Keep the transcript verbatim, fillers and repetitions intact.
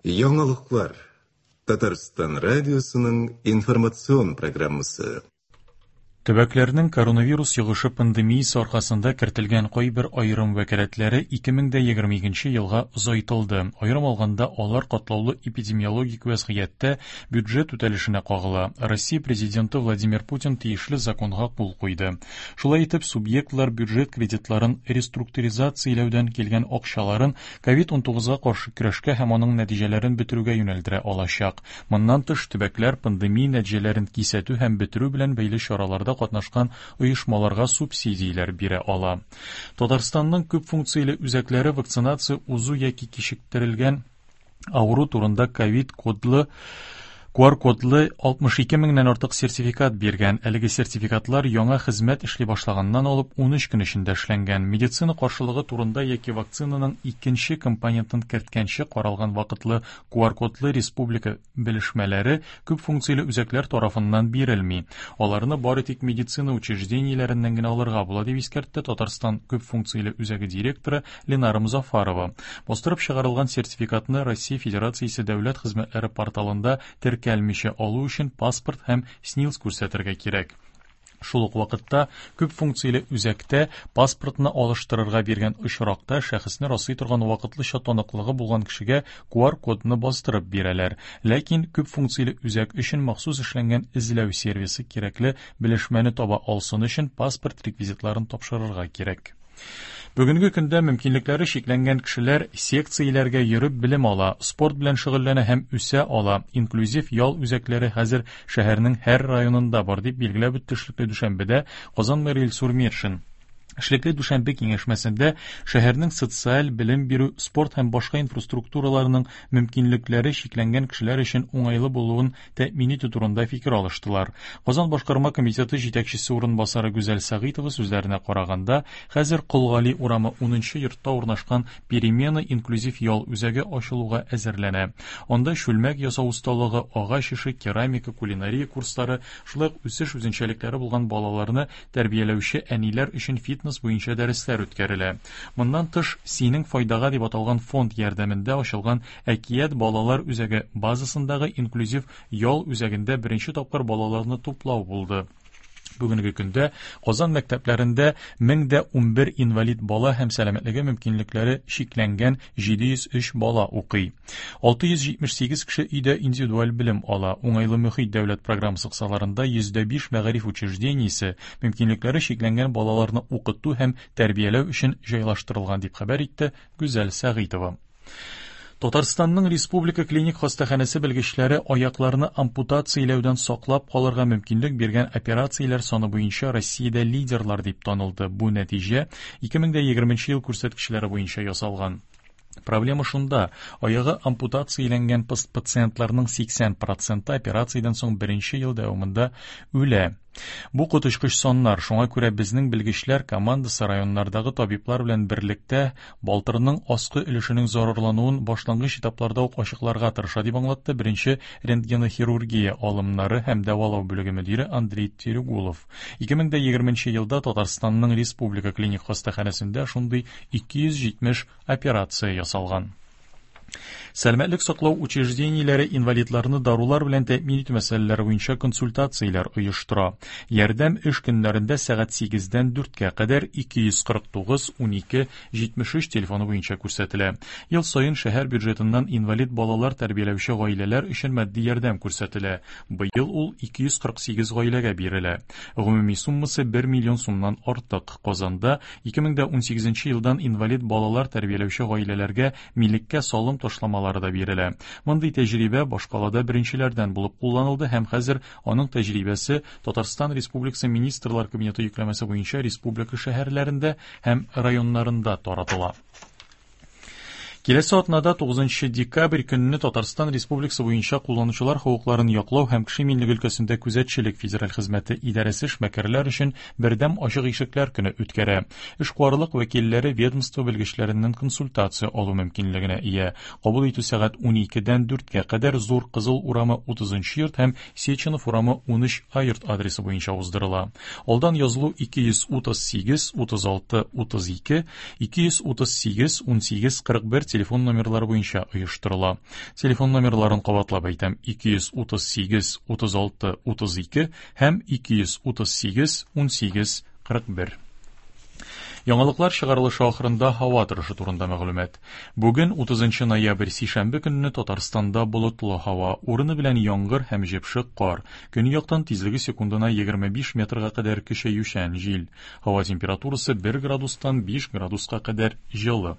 Яңалыклар. Татарстан радиосының информацион программасы. Төбәкләрнең коронавирус йогышы пандемиясе аркасында кертелгән кайбер аерым вәкаләтләре ике мең дә егерме икенче елга озайтылды. Аерым алганда, алар катлаулы эпидемиологик вазгыятьтә бюджет үтәлешенә кагыла. Россия президенты Владимир Путин тиешле законга кул куйды. Шулай итеп, субъектлар бюджет кредитларын реструктуризацияләүдән килгән акчаларын ковид унтугызга каршы көрәшкә һәм аның нәтиҗәләрен бетерүгә юнәлдерә алачак. Моннан тыш, төбәкләр пандемия нәтиҗәләрен кисәтү һәм бетерү белән бәйле чараларда катнашкан оешмаларга субсидияләр бирә ала. Татарстанның күп функцияле үзәкләре вакцинация узу яки кичектерелгән авыру турында ковид кодлы ку ар кодлы алтмыш ике меңнән артык сертификат биргән. Әлеге сертификатлар яңа хезмәт эшли башлаганнан алып ун өч көн эчендә эшләнгән. Медицина каршылыгы турында яки вакцинаның икенче компонентын керткәнче каралган вакытлы ку ар кодлы республика белешмәләре күп функцияле үзәкләр тарафыннан бирелми. Аларны бары тик медицина учреждениеләреннән генә алырга була, дип искәртте Татарстан күп функцияле үзәге директоры Ленара Музафарова. Бастырып чыгарылган сертификатны Россия Федерациясе дәүләт хезмәтләре порталында теркәлмичә алу өчен паспорт һәм СНИЛС күрсәтергә кирәк. Шул ук вакытта күп функцияле үзәктә паспортны алыштырырга биргән очракта шәхесне раслый торган вакытлыча таныклыгы булган кешегә ку ар кодны бастырып бирәләр. Ләкин күп функцияле үзәк өчен махсус эшләнгән эзләү сервисы кирәкле белешмәне таба алсын өчен паспорт реквизитларын тапшырырга кирәк. Бүгенге көндә мөмкинлекләре чикләнгән кешеләр секцияләргә йөреп белем ала, спорт белән шөгыльләнә һәм үсә ала. Инклюзив ял үзәкләре хәзер шәһәрнең һәр районында бар, дип билгеләп үтте эшлекле дүшәмбедә Казан мэры Илсур Метшин. Эшлекле дүшәмбе киңәшмәсендә шәһәрнең социаль белем бирү, спорт һәм башка инфраструктураларының мөмкинлекләре чикләнгән кешеләр өчен уңайлы булуын тәэмин итү турында фикер алыштылар. Казан башкарма комитеты җитәкчесе урынбасары Гүзәл Сәгыйтова сүзләренә караганда, хәзер Кол Гали урамы унынчы йортта урнашкан Перемена инклюзив ял үзәге ачылуга әзерләнә. Анда чүлмәк ясау осталыгы, агач эше, керамика, кулинария курслары, шулай ук үсеш үзенчәлекләре булган балаларны тәрбияләүче әниләр өчен фитнес буенча дәресләр үткәрелә. Моннан тыш, Синең файдага дип аталган фонд ярдәмендә ачылган Әкият балалар үзәге базасындагы инклюзив ял үзәгендә беренче тапкыр балаларны туплау булды. Бүгенге көндә Казан мәктәпләрендә мең дә унбер инвалид бала һәм сәламәтлеге мөмкинлекләре чикләнгән җиде йөз өч бала укый. Алты йөз җитмеш сигез кеше өйдә индивидуаль белем ала. Уңайлы мөхит дәүләт программасы кысаларында йөз дә биш мәгариф учреждениесе мөмкинлекләре чикләнгән балаларны укыту һәм тәрбияләү өчен җайлаштырылган, дип хәбәр итте Гүзәл Сәгыйтова. Татарстанның Республика клиник хастаханәсе белгечләре аякларны ампутацияләүдән саклап калырга мөмкинлек биргән операцияләр саны буенча Россиядә лидерлар дип танылды. Бу нәтиҗә ике мең дә егерменче ел күрсәткечләре буенча ясалган. Проблема шунда, аягы ампутацияләнгән пас-, пациентларның сиксән проценты операциядән соң беренче ел дәвамында үлә. Бу коточкыч саннар, шуңа күрә безнең белгечләр командасы районнардагы табиблар белән берлектә балтырның аскы өлешенең зарарлануын башлангыч этапларда ук ачыкларга тырыша, дип аңлатты беренче рентгенохирургия алымнары һәм дәвалау бүлеге мөдире Андрей Терегулов. Ике мең дә егерменче елда Татарстанның Республика клиник хастаханәсендә шундый ике йөз җитмеш операция ясалган. Сәламәтлек саклау учреждениеләре инвалидларны дарулар белән тәэмин итү мәсьәләләре буенча консультацияләр оештыра. Ярдәм эш көннәрендә сәгать сигездән дүрткә кадәр ике йөз кырык тугыз, унике, җитмеш өч телефоны буенча күрсәтелә. Ел саен шәһәр бюджетыннан инвалид балалар тәрбияләүче гаиләләр өчен матди ярдәм күрсәтелә. Быел ул ике йөз кырык сигез гаиләгә бирелә. Гомуми суммасы бер миллион сумнан артык. Казанда ике мең дә унсигезенче елдан инвалид балалар тәрбияләүче гаиләләргә милеккә салым ташламалары да бирелә. Мондый тәҗрибә башкалада беренчеләрдән булып кулланылды һәм хәзер аның тәҗрибәсе Татарстан Республикасы Министрлар Кабинеты йөкләмәсе буенча республика шәһәрләрендә һәм районнарында таратыла. Киләсе атнада тугызынчы декабрь көнне Татарстан Республикасы буенча кулланучылар хокукларын яклау һәм кеше иминлеге өлкәсендә күзәтчелек федераль хезмәте идарәсе эшмәкәрләр өчен бердәм ачык ишекләр көне үткәрә. Эшкуарлык вәкилләре ведомство белгечләреннән консультация алу мөмкинлегенә ия. Кабул итү сәгать уникедән дүрткә кадәр Зур Кызыл урамы утызынчы йорт һәм Сеченов урамы унөч А йорт адресы буенча уздырыла. Алдан язылу ике йөз утыз сигез, утыз алты, утыз ике, ике йөз утыз сигез, унсигез, кырык бер телефон номерлары буенча оештырыла. Телефон номерларын кабатлап әйтәм: ике йөз утыз сигез утыз алты утыз ике һәм ике йөз утыз сигез унсигез кырык бер. Яңалыклар чыгарылышы ахырында һава торышы турында мәгълүмат. Бүген, утызынчы ноябрь, сишәмбе көнне Татарстанда болытлы һава, урыны белән яңгыр һәм җепшек кар. Көньяктан тизлеге секундына егерме биш метрга кадәр көчәючән җил. Һава температурасы бер градустан биш градуска кадәр җылы.